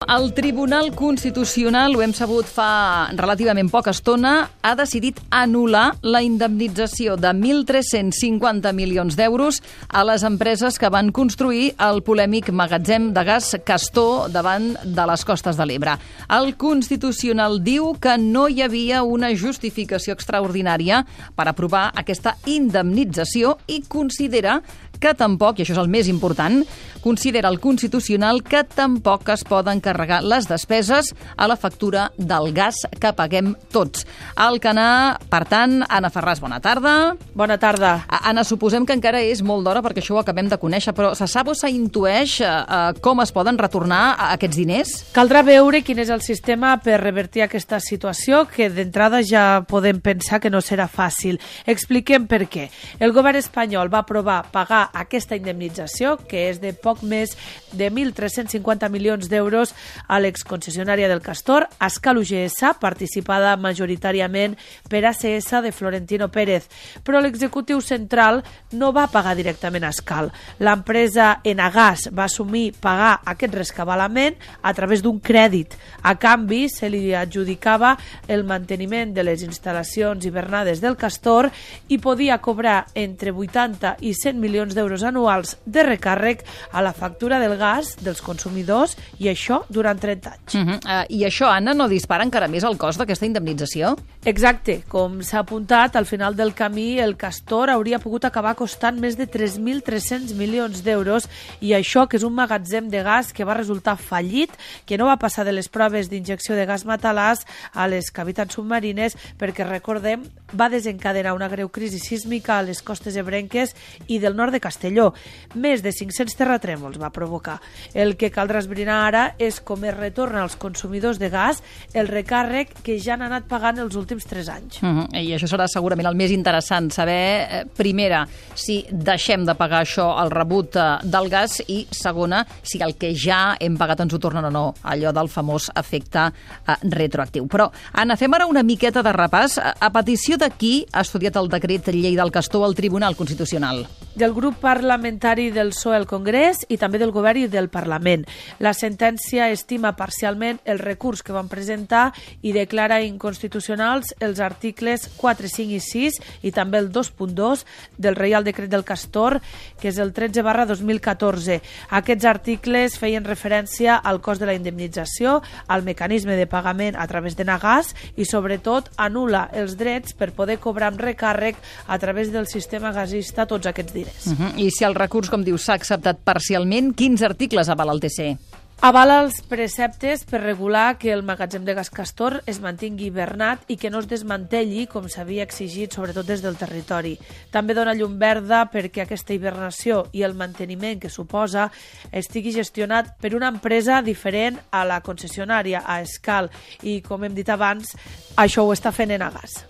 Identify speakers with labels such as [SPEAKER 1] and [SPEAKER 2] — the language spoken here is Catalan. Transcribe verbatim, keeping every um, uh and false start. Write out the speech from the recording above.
[SPEAKER 1] El Tribunal Constitucional, ho hem sabut fa relativament poca estona, ha decidit anul·lar la indemnització de mil tres-cents cinquanta milions d'euros a les empreses que van construir el polèmic magatzem de gas Castor davant de les costes de l'Ebre. El Constitucional diu que no hi havia una justificació extraordinària per aprovar aquesta indemnització i considera que tampoc, i això és el més important, considera el Constitucional que tampoc es poden carregar les despeses a la factura del gas que paguem tots. Al Canà, per tant, Anna Ferràs, bona tarda.
[SPEAKER 2] Bona tarda.
[SPEAKER 1] Anna, suposem que encara és molt d'hora perquè això ho acabem de conèixer, però se sap o s'intueix eh, com es poden retornar aquests diners?
[SPEAKER 2] Caldrà veure quin és el sistema per revertir aquesta situació, que d'entrada ja podem pensar que no serà fàcil. Expliquem per què. El govern espanyol va aprovar pagar aquesta indemnització, que és de poc més de mil tres-cents cinquanta milions d'euros a l'exconcessionària del Castor, Ascal U G S, participada majoritàriament per A C S de Florentino Pérez. Però l'executiu central no va pagar directament a Ascal. L'empresa Enagas va assumir pagar aquest rescabalament a través d'un crèdit. A canvi, se li adjudicava el manteniment de les instal·lacions hivernades del Castor i podia cobrar entre vuitanta i cent milions d'euros anuals de recàrrec a la factura del gas dels consumidors, i això durant trenta anys.
[SPEAKER 1] Uh -huh. uh, I això, Anna, no dispara encara més el cost d'aquesta indemnització?
[SPEAKER 2] Exacte. Com s'ha apuntat, al final del camí el Castor hauria pogut acabar costant més de tres mil tres-cents milions d'euros, i això, que és un magatzem de gas que va resultar fallit, que no va passar de les proves d'injecció de gas matalàs a les cavitats submarines, perquè, recordem, va desencadenar una greu crisi sísmica a les costes ebrenques i del nord de Castelló. Més de cinc-cents terratrèmols va provocar. El que caldrà esbrinar ara és com es retorna als consumidors de gas el recàrrec que ja han anat pagant els últims tres anys.
[SPEAKER 1] Uh -huh. I això serà segurament el més interessant, saber, eh, primera, si deixem de pagar això al rebut eh, del gas, i segona, si el que ja hem pagat ens ho tornen o no, allò del famós efecte eh, retroactiu. Però, Anna, fem ara una miqueta de repàs. A, a petició de qui ha estudiat el decret llei del Castor al Tribunal Constitucional?
[SPEAKER 2] Del grup parlamentari del P S O E al Congrés i també del Govern i del Parlament. La sentència estima parcialment el recurs que van presentar i declara inconstitucionals els articles quatre, cinc i sis i també el dos punt dos del Reial Decret del Castor, que és el tretze barra dos mil catorze. Aquests articles feien referència al cost de la indemnització, al mecanisme de pagament a través de Nagas i, sobretot, anul·la els drets per poder cobrar amb recàrrec a través del sistema gasista tots aquests diners.
[SPEAKER 1] Uh -huh. I si el recurs, com dius, s'ha acceptat parcialment, quins articles avala el T C?
[SPEAKER 2] Avala els preceptes per regular que el magatzem de gas Castor es mantingui hivernat i que no es desmantelli, com s'havia exigit, sobretot des del territori. També dona llum verda perquè aquesta hibernació i el manteniment que suposa estigui gestionat per una empresa diferent a la concessionària, a Ascal, i, com hem dit abans, això ho està fent Enagas.